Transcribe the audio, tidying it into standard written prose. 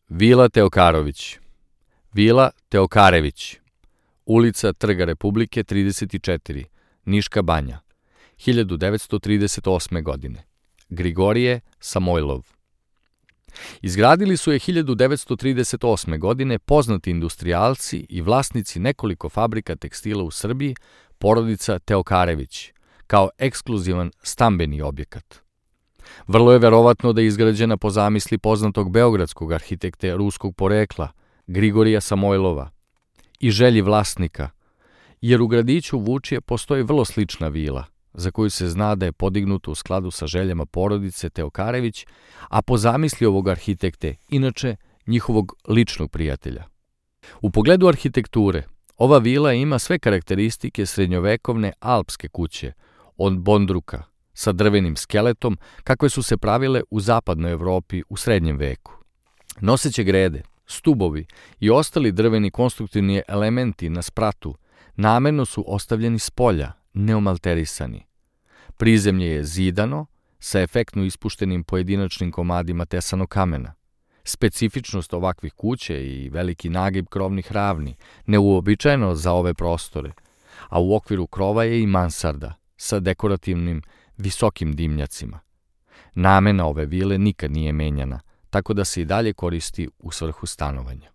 Vila Teokarović, Vila Teokarević, ulica Trga Republike 34, Niška banja, 1938. godine. Grigorije Samojlov. Izgradili su je 1938. godine poznati industrijalci i vlasnici nekoliko fabrika tekstila u Srbiji, porodica Teokarević, kao ekskluzivan stambeni objekat. Vrlo je verovatno da je izgrađena po zamisli poznatog beogradskog arhitekte ruskog porekla, Grigorija Samojlova, i želji vlasnika, jer u gradiću Vučje postoji vrlo slična vila, za koju se zna da je podignuta u skladu sa željama porodice Teokarević, a po zamisli ovog arhitekte, inače njihovog ličnog prijatelja. U pogledu arhitekture, ova vila ima sve karakteristike srednjovekovne alpske kuće, od bondruka, sa drvenim skeletom, kakve su se pravile u zapadnoj Evropi u srednjem veku. Noseće grede, stubovi i ostali drveni konstruktivni elementi na spratu namerno su ostavljeni s polja, neomalterisani. Prizemlje je zidano, sa efektno ispuštenim pojedinačnim komadima tesanog kamena. Specifičnost ovakvih kuća i veliki nagib krovnih ravni, neuobičajeno za ove prostore, a u okviru krova je i mansarda sa dekorativnim visokim dimnjacima. Namena ove vile nikad nije menjana, tako da se i dalje koristi u svrhu stanovanja.